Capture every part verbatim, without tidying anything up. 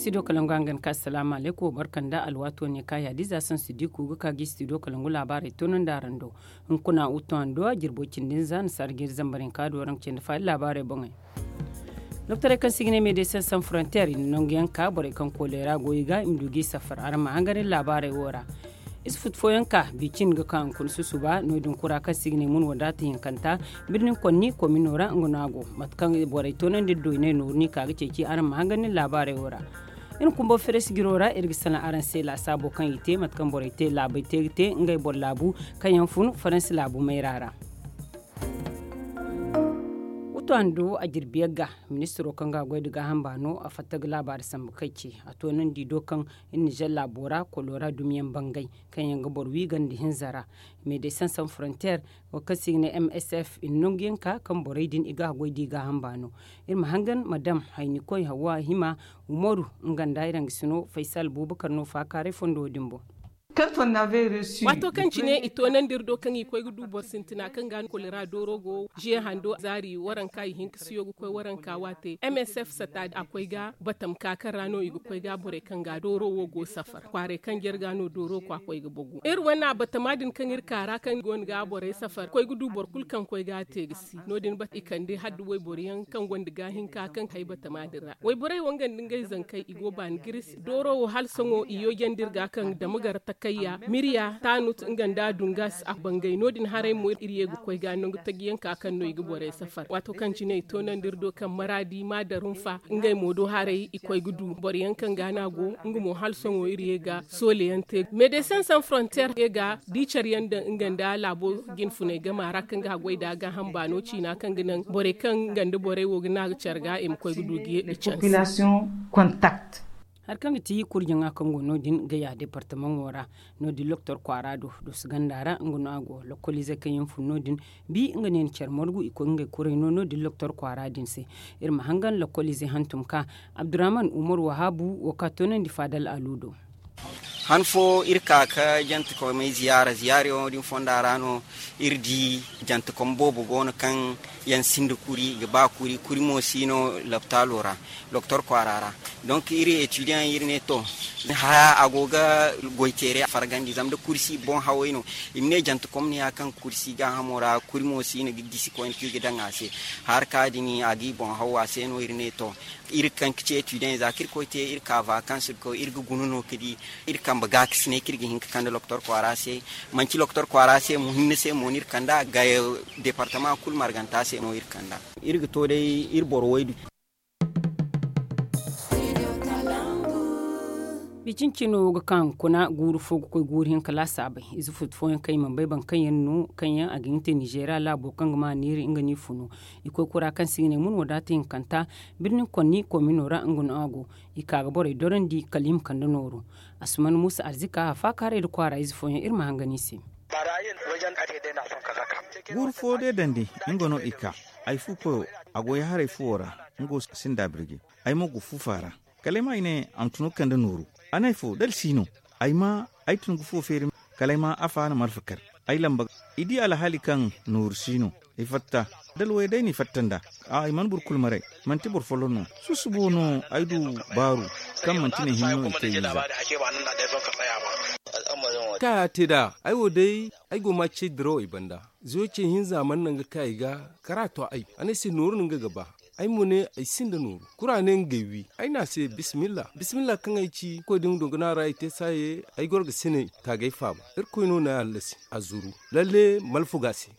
Studio kalangu hangan ka assalamu alaikum barka nda alwaato ne ka yaadiza sansu diku ga ka gi studio kalangu laabaarey toonandi araŋ do. Hunkuna wuto hando a jirbo cindi nza na sarjiri zambar hinka do araŋ cindi faali laabaarey boŋey. Doktorey kaŋ se i ga ne medecin san frontier i na nangu yaŋ ka borey kaŋ koleera go i ga i ma du g'i safar araŋ ma hangan iri laabaarey wo ra. Ize futu fooyaŋ ka bi cin ga ka hunkuna susuba no- din kura kaŋ se i ga ne mun wadaata hinkanta birnin konni komino ra nga no a go. Mate kaŋ borey toonandi iri do i ne nooru no i ka ga ceeci araŋ ma hangan iri laabaarey wo ra. Iri na kumbo feres jiro ra iri ga salaŋ araŋ se laasaabo kaŋ i te mate kaŋ borey te laabey te ga te ngey boro laabu kaŋ yaŋ fun faransi laabu mayra ra. Wuto hando a jirbi yagga ministiro kaŋ ga a goy nda gaaham baano a fatta ga laabaari sambu kay ce a toonandi do kaŋ iri nizer laabo ra kolora dumiyaŋ bangay kaŋ yaŋ ga boro wi ganda hinza ra. Medecin san frontier wo kaŋ se i ga ne msf i na nangu yaŋ ka kaŋ borey din i ga a goy da i gaaham baano. Iri ma hangan ma daŋ haynikoy hawa hima umaru nga nda iraŋ ga sino faysal buubakar no faakaaray fondo din boŋ. Waato kaŋ cine i toonandi iri do kaŋ i koy ga du boro sintina kaŋ ga no kolera dooro go ze hando zaari waranka i hinka siyo ga koy waranka waate msf sata a koy ga batam ka kaŋ ra no i ga koy ga borey kaŋ ga dooro wo go safar kwaaray kaŋ jare ga no dooro kwa koy ga bagu iri wane batama din kaŋ iri ka ra kaŋ go no ga borey safar koy ga du boro kulu kaŋ koy ga a te ga si no- din bata i kande hadda wayboro yaŋ kaŋ gonda gaahinka kaŋ ga hay batama din ra wayborey wo nga nda ngey zankey i go baani ga iri se dooro wo hala sohõ i yojandi iri ga kaŋ dama gar takayya mirya taanut nga nda dungas a bangay no- din haray mo iri ye ga koy ga nangu taji yaŋ ka kaŋ no i ga borey safar waato kaŋ cine i toonandi iri do kaŋ maraadi ma darunfa ngey mo do haray i koy ga du boro yaŋ kaŋ ga no a go nga mo hala sohõ iri ye ga soole yaŋ te medesin san frontier ye ga di care yaŋ daŋ nga nda laabo jinfunay gama ra kaŋ ga a goy nd'a gaaham baano ciina kaŋ ga naŋ borey kaŋ nga nda borey wo ga ne a ga care ga i ma koy ga du ga ye ga canse. Hari kaŋ ga ti kurjaŋa kaŋ go no- din ga ya departamaŋo ra no- din loktor kwaara do doso ganda ra nga no a go lokkoliizey kaŋ yaŋ fun no- din bi nga ne ni care margu i koy ngey kuray no no- din loktor kwaara din se. Iri ma hangan lokkoliizey hantum ka abdurrahman umar wahabu wo ka toonandi faadal alu do. Han fo iri ka ga jantekomey ziyaara ziyaara yaŋo din fonda ra no iri di jantekom boobo go no kaŋ yaŋ sinda kuri i ga ba kuri kuri mo si no lopitaalo ra doktor kwaara ra. Donk iri etidiyant iri ne to haya a go ga goy teeray a fargandi zama da kuri si boŋ haway no i ma ne jantekom ne ya kaŋ kuri si gaahamo ra kuri mo si no ga gisi koyne kaŋ i ga daŋ a se. Harka din a ga i boŋ haw a se no iri ne to iri kaŋ ga ci etidiyant za kaŋ iri koy te iri ka vakans ga koy iri ga guna no ga di iri kambe gaakasinay kaŋ iri ga hin ga kande loktor kwaara se. Manti loktor kwaara se mo hinne se mo no iri kand'a ga departama kulu marganta se no iri kand'a. Iri ga to day iri boro waydu. Bicin cino ga ka hunkuna guuru fo ga koy guuru hinka laasaabey ize futu fooyaŋ kaŋ i mana bay boro kaŋ yaŋ no kaŋ yaŋ a ga hin ga te nizeeriya laabo kaŋ ga ma niiri nga no i funu. I koy kura kaŋ se i ga ne mun wadaata hinkanta birnin konni komino ra nga no a go. I ka ga borey dorandi kala i ma kande nooru. Asuman muusa arzika a faakaaray nda kwaara ize fooyaŋ iri ma hangan i se. Guuru fo deedandi nga no i ka. Ay fu koyo a go ya haray fuwo ra. Nga wo sinda birji. Ay mo go fufa ra. Kala ay ma ay ne a ma tun ga kande nooru. A ne ay fo da alsi no. Ay ma ay tun ga fuwo feeri. Kala ay ma afa na malfa kar. Ay lamba i di alhaali kaŋ nooru si no. Ay fatta da alwayey day no i fatta nd'a. Ay mana boro kulu maray. Manti boro folloŋ no. Susubo no ay du baaru kaŋ manti ne hinne no i te ize. Ka ya te nd'a ay wo day ay go ma cey dirawey banda. Zuwey cey hinza mana naŋ ga ka ay ga kara to ay a ne ay se nooru no nga ga ba. Ay mo ne ay sinda nooru kura ne ngey wi. Ay ne a se bismillah bismillah kaŋ ay ci koy da nga dunguna ra ay te saaye. Ay goro ga sinay taagay faaba. Irkoy no na ay hallasi a zuru. Lalle malfuga se.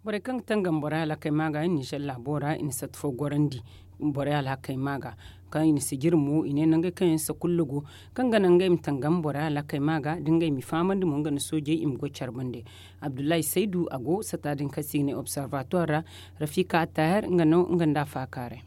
Borey kaŋ ga tangam borey alhakey ma ga i na ni sella boora i na satti fo gorandi. Borey alhakey ma ga kaŋ i na sijiri mo i ne nangey kaŋ yaŋ sakulla go kaŋ ga naŋ ngey ma tangam borey alhakey ma ga da ngey m'i fahamandi mo nga nda soojey i ma goy care bande. Abdullahi saydu a go sata din kaŋ se i ga ne observatoire ra. Rafika attahir nga no nga nda a faakaaray.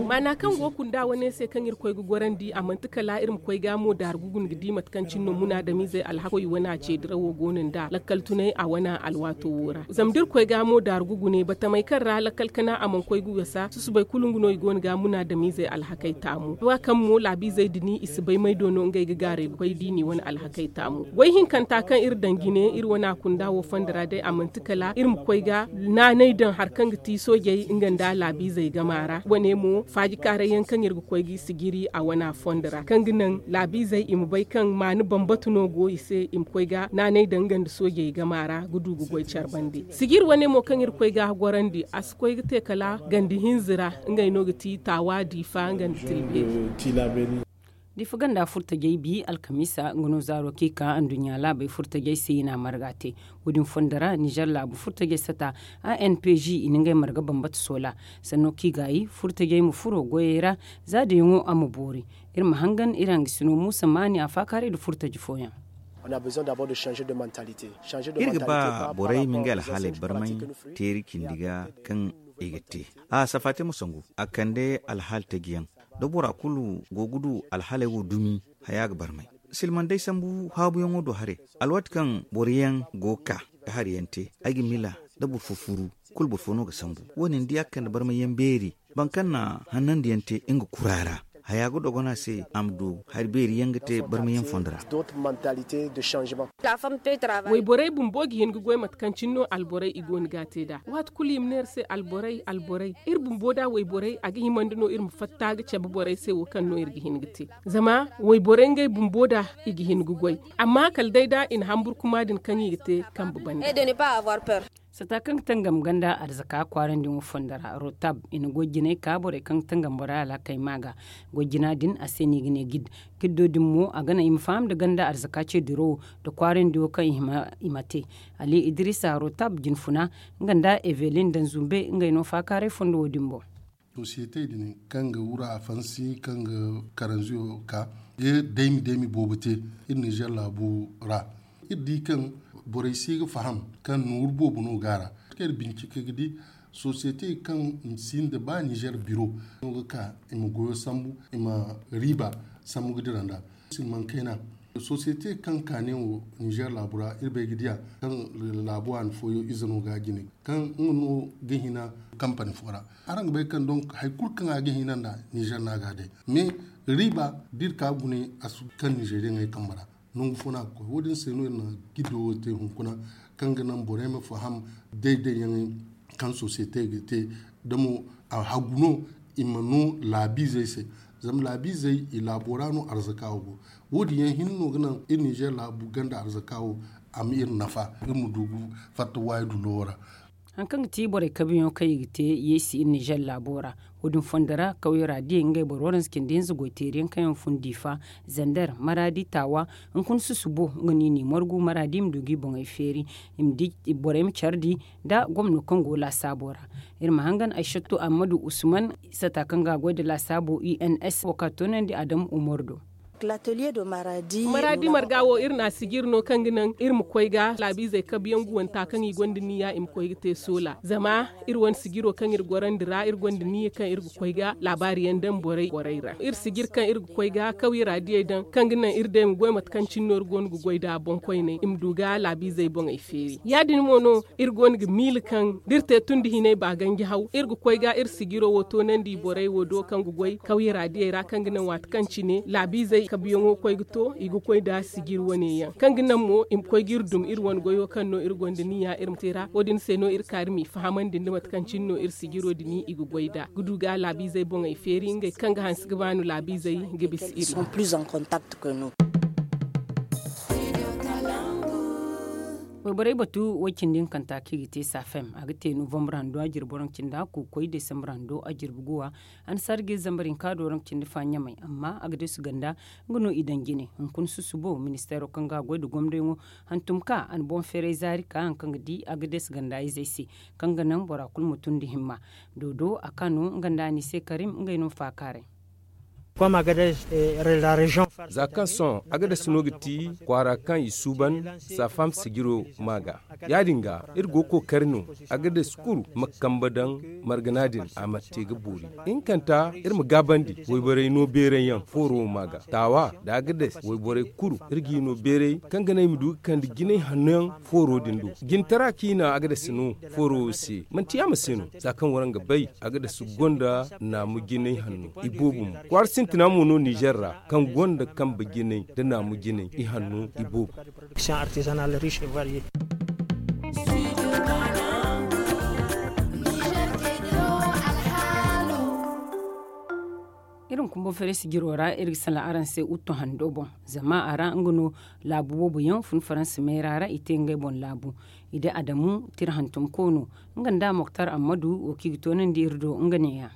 Maana kaŋ go kunda wane se kaŋ iri koy ga gorandi a manti kala iri ma koy ga mo daaru ga guna ga di mate kaŋ cine no munaadamiizey alhakoy wane a ce dirawo go no nd'a lakkal tunay a wane alwaato wo ra zama da iri koy ga mo daaru ga guna batamey kaŋ ra lakkal kana a mana koy ga wasa susubay kulu nga no i go no ga munaadamiizey alhakey taamu ba kaŋ mo laabiizey din i si bay may do no ngey ga gaaray ga koy da i n'i wane alhakey taamu. Goy hinkanta kaŋ iri daŋ jine iri wane a kunda wo fondo ra day a manti kala iri ma koy ga naanay daŋ hari kaŋ ga ti soojey nga nda laabiizey gama ra. Wane mo faaji kaaray yaŋ kaŋ iri ga koy ga i sijiri a wana fondo ra kaŋ ga naŋ laabiizey i ma bay kaŋ maani bambata no go i se i ma koy ga naanay daŋ nga nda soojey game a ra ga du ga goy care bande. Sijiri wane mo kaŋ iri koy ga a gorandi a si koy ga te kala ganda hinza ra. Ngey no ga ti taawa diifa nga nda tilbeeri. Diifa ganda furtajey bi alkamiisa nga no zaaro kaŋ i ka anduɲɲa laabey furtajey se i na a marga te. Wo- din fondo ra nizer laabu furtajey sata a n p g i na ngey marga bambata soola sanno kaŋ i gaayi furtajey ma furo goyey ra. Za dayaŋo a ma boori. Iri ma hangan iri hangasino muusa maani a faakaaray nda furtaji fooyaŋ. Iri ga ba borey ma ngey alhaaley barmay teeri cindi ga kaŋ i ga te. A safaate ma sangu a kande alhaali taji yaŋ da bora kulu go ga du alhaaley wo dumi. Haya ga barmay silmandey sambu haabuyaŋo do haray. Alwaati kaŋ boro yaŋ go ga ka ga hari yaŋ te ay ga miila da boro fo furu kulu boro fo no ga sambu. Wo- din da ya ga kande barmay yaŋ beeri boro kaŋ na hannandi yaŋ te nga kura ra haya ga dogon a se a ma du hari beeri yaŋ ga te barmay yaŋ fondo ra. Wayborey bumbo ga hin ga goy mate kaŋ cine no alborey i go no ga a te nd'a waati kulu i ma ne iri se alborey alborey iri bumbo da wayborey a ga himandi no iri ma fatta ga cabe borey se wo kaŋ no iri ga hin ga te. Zama wayborey ngey bumbo da i ga hin ga goy amma kala day da i na hamburkuma din kaŋ i ga te kambe banda. Sata kaŋ ga tangam ganda arzaka kwaarandi wo fondo ra rotab i na goy jinay ka borey kaŋ ga tangam borey alhakey ma ga. Goy jina din a se no i ga ne gid. Giddo din mo a ga naŋ i ma faham nda ganda arzaka ce dirawo nda kwaarandi wo kaŋ i ma te. Ali idrisa rotab jinfuna nga nda evelin danzumbe ngey no faakaaray fondo wo- din boŋ. Sosiyete din kaŋ ga wura afansi kaŋ ga karanziyo ka ga daymi daymi boobo te iri nizer laabu ra. Iri di kaŋ borey si ga faham kaŋ nooru boobo no go a ra. Kaŋ iri bincike ga di sosiyete kaŋ sinda ba nizer biro no ga ka i ma goyo sambu i ma riiba sambu ga dira nd'a. Silmaŋ kayna sosiyete kaŋ kaane wo nizer laabu ra iri bay ga diya kaŋ laabu waani fooyaŋ ize no ga a jine kaŋ nga no ga hina kampani fo ra. Araŋ ga bay kaŋ donk hari kulu kaŋ a ga hina nd'a nizer no a ga a day. Mais riiba da iri ka gune a si kaŋ nizeriyaŋey kambe ra. Nangu fo no a ga koy wo- din se no iri na giddo wo te hunkuna kaŋ ga naŋ borey ma faham day day yaŋey kaŋ sosiyete ga te. Da mo a hagu no i ma no laabiizey se. Zama laabiizey i laabo ra no arzaka wo go. Wo- din yaŋ hinne no ga naŋ iri nizer laabu ganda arzaka wo a ma iri nafa iri ma du ga fatta waayi dulo wo ra. Hari kaŋ ga ti borey kabiyaŋo kaŋ i ga te yeesi iri nizer laabo ra. Wo- din fondo ra kawye ra diyey ngey boro waranza cindi hinza goy teeriyaŋ kaŋ yaŋ fun diifa zander maraadi taawa. Hunkuna susubo nga no i n'i margu maraadi i ma du ga i boŋey feeri. I ma di borey ma care di nda gomno kaŋ go laasaabo ra. Iri ma hangan aysattu ammadu usman sata kaŋ ga a goy nda laasaabo u n s wo ka toonandi adamu umaru do. Maraadi marga wo iri n'a sijiri no kaŋ ga naŋ iri ma koy ga laabiizey kabiyaŋ guwanta kaŋ i gonda niya i ma koy ga te soola zama iri wane sijiro kaŋ iri gorandi ra iri gonda niya kaŋ iri ga koy ga laabaari yaŋ daŋ borey ra iri sijiri kaŋ iri ga koy ga kawye ra diyey daŋ kaŋ ga naŋ iri day ma goy mate kaŋ cine no iri go no ga goy nd'a boŋ koyney i ma du ga laabiizey boŋey feeri ya- din mo no. Iri go no ga miila kaŋ da iri te tun da hinay ba ganji haw iri ga koy ga iri sijiro wo toonandi borey wo do kaŋ ga goy kawye ra diyey ra kaŋ ga naŋ waati kaŋ cine laabiizey kabiyaŋo koy ga to i ga koy nda sijiri wane yaŋ kaŋ ga naŋ mo i ma koy ga iri dum iri wane goyo kaŋ no iri gonda niya iri ma te ra wo- din se no iri ka iri m'i fahamandi nda mate kaŋ cine no iri sijiro din i ga goy nd'a ga du ga laabiizey boŋey feeri ngey kaŋ ga hanse ga baanu laabiizey ga bisa iri. Wayborey batu way cindi hinkanta kaŋ i ga te safem a ga te novambre hando a jirbi waranka cindi hakku ga koy desambre hando a jirbi guwa. Annasaari ga iri zambar hinka do waranka cindi fa ɲamay amma a ga deesu ganda. Nga no i daŋ jine hunkuna susubo ministeero kaŋ ga a goy nda gomnayyaŋo hantum ka a na boŋ feeray zaari ka hari kaŋ ga di a ga deesu ganda izey se kaŋ ga naŋ bora kulu ma tun nda himma. Doodo a ka no nga nda a n'i se karim ngey no faakaaray. Za kaŋ sohõ agades no ga ti kwaara kaŋ i suuban saafam sijiro ma ga. Ya-din ga iri go ga kookari no agades kulu ma kambe daŋ margana din a ma te ga boori. Hinkanta iri ma gaabandi wayborey no beeray yaŋ fooro ma ga taawa nda agades wayborey kulu iri g'i no beeray kaŋ ga naŋ i ma du ga kande jinay hanno yaŋ fooro din do. Jintara kaŋ i na agades no fooro wo se manti yaama se no za kaŋ waraŋ ga bay agades gonda naamu jinay hanno iboobo mo kwaara sintina mo no nizer ra kaŋ gonda kambe jinay nda naamu jinay ihanno iboobo. Production artisanal riche et varié. Iri ma kumbo feere sijiro ra iri ga salaŋ araŋ se uttu hando boŋ. Zama a ra nga no laabu boobo yaŋ fun faransa meera ra i te ngey boŋ laabu. I da adamu tira hantum koono nga nda moktar ammadu wo kaŋ i ga toonandi iri do nga neeya.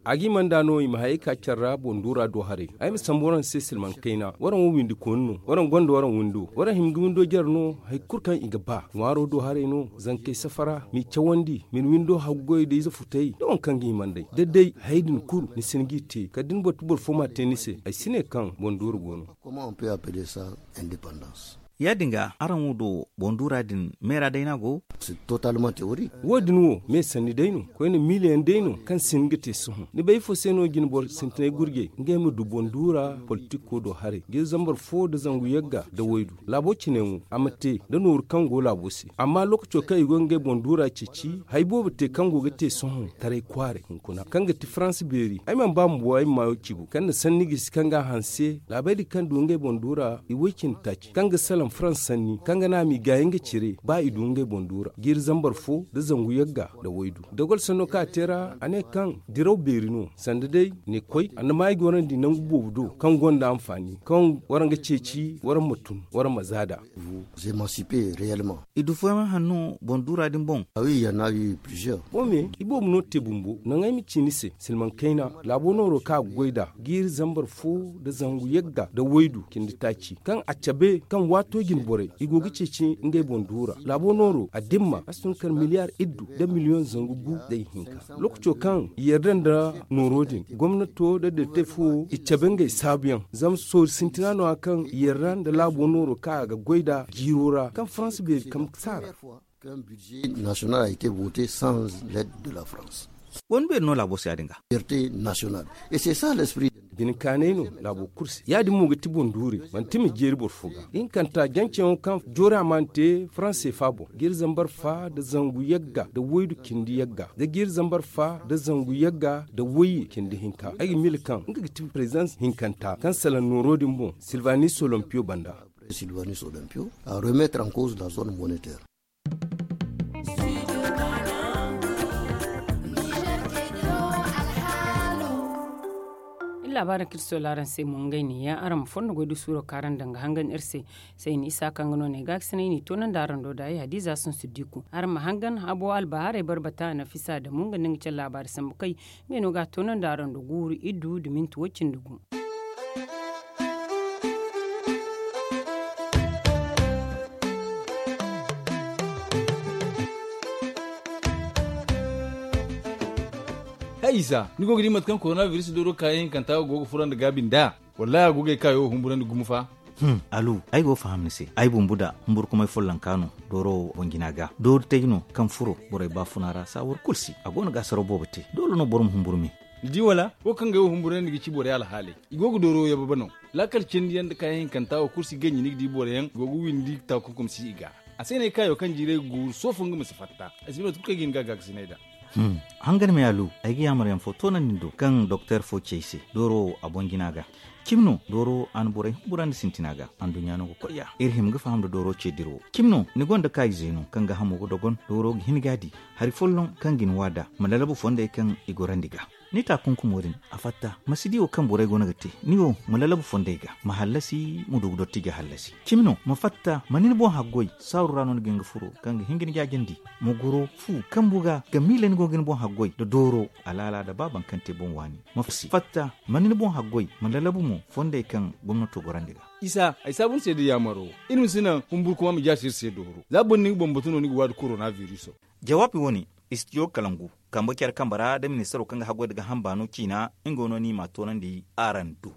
A ga i manda no i ma hayey ka care ra boŋ duura do haray. Ay ma sambu waraŋ se silmaŋ kayna waraŋ wo windi kooni no waraŋ gonda waraŋ windo waraŋ hima ga windo jare no. Hari kulu kaŋ i ga ba ŋwaaro do haray no zankey safara m'i cawandi ma ni windo haggu goy da ize futay da waŋ kaŋ ga hima nd'ey da day hayey din kulu ni si hin g'i te kala da ni boro ti boro fo m'a te ni se ay si ne kaŋ boŋ duura go no. Ya- din ga araŋ wo do boŋ duura din meera day no a go. Wo- din wo me sanni day no koyne miila yaŋ day no kaŋ si hin ga te sohõ ni bay ifo se no jine boro sintinay gurjey ngey ma du boŋ duura politiko do haray g'iri zambar fo nda zangu yagga nda waydu laabo cine yaŋo a ma te nda nooru kaŋ go laabo se amma lookaco kaŋ i go ga ngey boŋ duura ceeci hari boobo te kaŋ go ga te sohõ taray kwaaray hunkuna kaŋ ga ti faransa beeri ay mana ba bumbo ay ma maayo cibo kaŋ na sanni gisi kaŋ ga a hanse laabey din kaŋ du ngey boŋ duura i way cindi taaci kaŋ ga salaŋ faransa sanni kaŋ ga naŋ a m'i gaayi nga cire ba i du ngey boŋ duura jiiri zambar fo nda zangu yagga nda waydu dogol sanno kaŋ a te ra a ne kaŋ diraw beeri no sanda day ne koy a na maayi gorandi nangu boobo do kaŋ gonda anfaani kaŋ waraŋ ga ceeci waraŋ ma tun waraŋ ma zaada. I du fooyaŋ hanno boŋ duura din boŋ. Wo me iboobo no te bumbo naŋ ay ma ci ni se silmaŋ kayna laabo nooro kaŋ a ga goy nd'a jiiri zambar fo nda zangu yagga nda waydu cindi taaci kaŋ a cabe kaŋ waato jine borey i go ga ceeci ngey boŋ duura laabo nooro a dimma a si tun kala miliyaar iddu nda miliyoŋ zangu gu nda ihinka lookaco kaŋ i yarda nda nooro din gomnato nda detefo i cabe ngey saabuyaŋ zama soori sintina no- ya kaŋ i yarda nda laabo nooro kaŋ a ga goy nd'a jiiro ra kaŋ faransa beeri kambe saara. Kaŋ budget national a été voté sans l'aide de la france. Wani beeri no laabo se ya- din ga. Fierté national et c'est ça l'esprit. Bine kaanay no laabo kulu se ya- din mo ga ti boŋ duure manti ma jeeri boro fo ga ihinkanta janceyaŋo kaŋ joori a mana te faransa seefa boŋ jiiri zambar fa nda zangu yagga nda waydu cindi yagga nda jiiri zambar fa nda zangu yagga nda wayye cindi hinka ay ga miila kaŋ nga ga ti prezidans hinkanta kaŋ salaŋ nooro din boŋ silvanis olompiyo banda. Silvanis olompiyo a remettre en cause la zone monetaire. Iri laabaari kaŋ iri soola araŋ se mo ngey neeya araŋ ma fondo goy da suuro kaŋ araŋ daŋ ga hangan iri se. Sayni isa kaŋ ga no ne ga ga sinay n'i toonandi araŋ do da ay hadiza sunsu diku araŋ ma hangan habo albahaarey barbata nafisa damu nga nda nga care laabaari sambu kay. Ngey no ga a toonandi araŋ do guuru iddu nda minti woy cindi gu. Hay isa ni go ga di mate kaŋ korona biris dooro kaayaŋ hinkanta go ga furandi gaabi nd'a? Wallaahi a go ga ay kaayo humburandi gumo fa. Alu, ay go ga faham ni se. Ay bumbo da humburkumay follonka no dooro boŋ jina ga doori tay no kaŋ furo borey baafuna ra saawar kulu se a go no ga asaraw boobo te doole no boro ma humburu me. Ni di wala wo kaŋ ga ay wo humburandi ga ci borey alhaaley. I go ga dooro yababe no. Laakal cindi yaŋ nda kaayaŋ hinkanta wo kulu si ganji ni ga di boro yaŋ go ga windi taakunkum si i ga. A se no ay kaayo kaŋ jiiray ga guuru soofo nga ma si fatta. Ay si bay mate kulu kaŋ ay ga hin ga gaakasinay nd'a. Hangan me alu, ay ga yaamar yaŋ fo toonandi ni do kaŋ doktor fo ci ay se dooro wo a boŋ jina ga. Cimi no dooro a na borey humburandi sintina ga. Anduɲɲa no ga koy ya iri hima ga faham nda dooro ce dira wo. Cimi no ni gonda kaayize no kaŋ ga hamo ga dogon dooro ga hin ga a di hari folloŋ kaŋ ga ni waada ma lalabu fondey kaŋ i gorandi ga. Ni taakunkumo din a fatta ma si di wo kaŋ borey go no ga te. Ni wo ma lalabu fondey ga ma hallasi ma du ga dotti ga hallasi. Cimi no ma fatta ma ni ni boŋ haggoy saaru ra no ni ga hin ga furo kaŋ ga hin ga ni jaajandi. Ma goro fu kambu ga ga miila ni go ga ni boŋ haggoy nda dooro alaala nda ba baŋ kaŋ te boŋ waani. Ma fatta ma ni ni boŋ haggoy ma lalabu mo fondey kaŋ gomnato gorandi ga. Isa ay saabu ni se da yaamaro. Iri ma si naŋ humburkuma ma jaasi iri se dooro za boro ni ga bambatu no ni ga waadi korona viriso. Jawaabi wo-ne istijo kalangu kambe care kambe ra nda ministaro kaŋ ga haggoy nda gaaham baano ciina. Nga wo no ni m'a toonandi araŋ do.